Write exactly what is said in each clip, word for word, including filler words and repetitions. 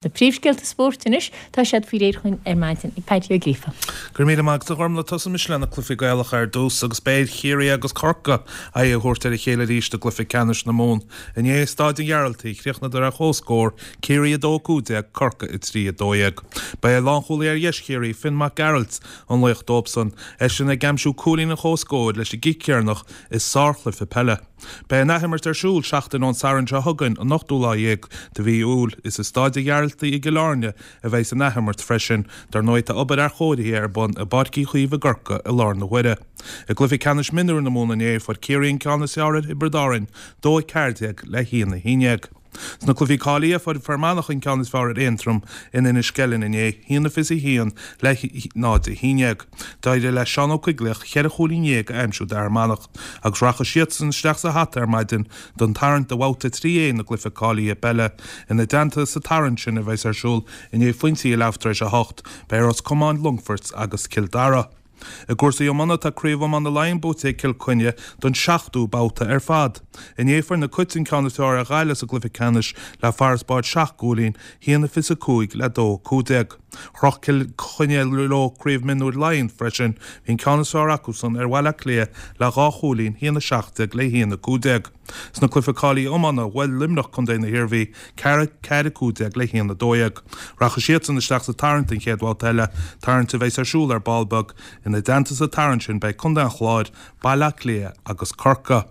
Na príomhscéalta spóirt anois, tá siad faoi réir chugainn ar maidin ag Paddy Ó Gríofa. Go raibh míle maith agat a Ghormlaith. Tosóimis le na cluichí Gaelacha ar dtús agus beidh ar Chiarraí agus Corcaigh aghaidh a thabhairt ar a chéile arís i gcluiche ceannais na Mumhan. Inné i Staid an Ghearaltaigh, chríochnadar ar chomhscór, Ciarraí a dó a cúig déag, Corcaigh a trí a dó dhéag. Ba é lánchúlaí ar dheis Chiarraí, Finn Mac Gearailt, an laoch dóibhsan, eisean ag aimsiú cúilín an chomhscóir leis an gcic dheireanach i sárchluiche peile. Beidh an athimirt ar siúl seachtain ón Satharn seo chugainn, an ochtú lá dhéag de mhí Iúil. Is i Staid an Ghearaltaigh i gCill Airne a bheidh an athimirt freisin. Dar ndóigh tá obair athchóirithe ar bun i bPáirc Uí Chaoimh i gCorcaigh i láthair na huaire. I gcluiche ceannais mionúir na Mumhan inné, fuair Ciarraí an ceann is fearr ar Thiobraid Árainn, dó a ceathair déag le haon a haon déag. Sna cluichí cáilithe, fuair Fear Manach an ceann is fearr ar Aontroim in Inis Ceithleann inné, haon a fiche a haon le náid a haon déag. D'éirigh le Seán Ó Coigligh cheithre chúilín dhéag a aimsiú d'Fhear Manach agus rachaidh siadsan isteach sa hata ar maidin don tarraingt do bhabhta trí A na gcluiche cáilithe peile. Ina dteannta sa tarraingt sin a bheas ar siúl i ndiaidh phointí a leathuair tar éis a hocht, beidh Ros Comáin, Longfort agus Cill Dara. I gcúrsaí iomána, tá Craobh Iomána Laighean buaite ag Cill Chainnigh don seachtú babhta ar fad. Inné fuair na Cait an ceann is fearr ar Ghaillimh sa gcluiche ceannais le farasbarr seacht gcúilín, haon a fiche a cúig le dó a cúig déag. Chroch Cill Chainnigh leo Craobh Mionúir Laighean freisin, bhí an ceann is fearr acusan ar Bhaile Átha Cliath le dhá chúilín, haon a seacht déag le haon a cúig déag. Sna cluiche cáilithe iomána, bhuail Luimneach contae na hIarmhí, ceathair ceathair a cúig déag le haon a dó dhéag. Rachaidh siadsan isteach sa tarraingt don chéad bhabhta eile, tarraingt a bheas ar siúl ar ball beag. Ina dteannta sa tarraingt sin beidh Contae an Chláir, Baile Átha Cliath agus Corcaigh.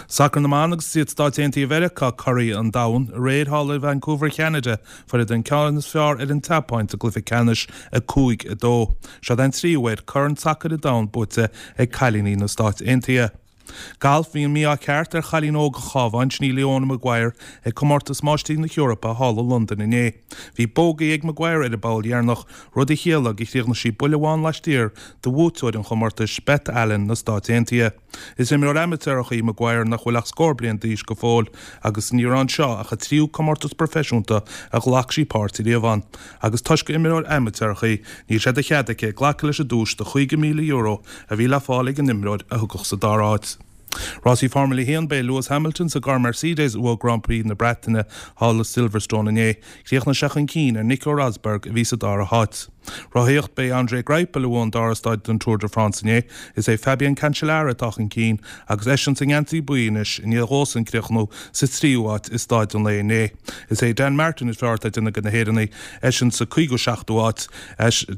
Sacar na mBan agus is iad Stáit Aontaithe Mheiriceá curaidh an domhain. Aréir thall i Vancouver Cheanada fuaireadar an ceann is fearr ar an tSeapáin sa gcluiche ceannais, a cúig a dó. Seo an tríú huair Corn Sacair an Domhain buaite ag cailíní na Stáit Aontaithe. Galf, Bhí an mí-ádh ceart ar chailín óg an Chabháin, sin í Leona Maguire, ag Comórtas Máistrí na hEorpa thall i Londain inné. Bhí bogey ag Maguire ar an bpoll dheireanach, rud a chiallaigh gur chríochnaigh sí buille amháin laistiar de bhuaiteoir an chomórtais, Beth Allen na Stáit Aontaithe. Is imreoir amaitéarach í Maguire nach bhfuil ach scór bliain d'aois go fóill agus ní raibh anseo ach a tríú comórtas proifisiúnta a ghlac sí páirt riamh ann. Agus toisc gur imreoir amaitéarach í, níl sé de chead aici glacadh leis an duais de chúig mhíle euro a bhí le fáil ag an imreoir a thiocfadh sa dara háit. Rásaí Formula a haon, B'é Lewis Hamilton sa gcarr Mercedes a bhuaigh Grand Prix na Breataine thall i Silverstone inné. Chríochnaigh sé chun cinn ar Nico Rosberg a bhí sa dara háit. Rothaíocht, B'é André Greipel a bhuaigh an dara staid den Tour de France inné. Is é Fabian Cancellara atá chun cinn agus eisean sa ngeansaí buí anois i ndiaidh dhósan críochnú sa tríú háit i staid an lae inné. Is é Dan Martin is fearr atá ag déanamh de na hÉireannaigh, eisean sa cúigiú seachtú háit,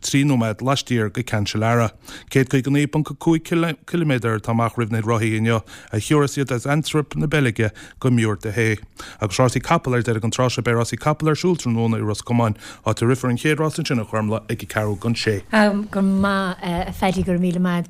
trí nóiméad laistiar de Cancellara. Céad caoga naoi ponc a cúig ciliméadar atá amach roimh na rothaithe inniu a thiúrfas iad as Antwerp na Beilge go Mur-de-Haye. Agus rásaí capall ar deireadh an tráth seo, beidh rásaí capall ar siúl tráthnóna i Ros Comáin, áit a rithfear an chéad rás ansin a Ghormlaith ag a ceathrú don sé. Go maith, a Phaddy, go raibh míle maith.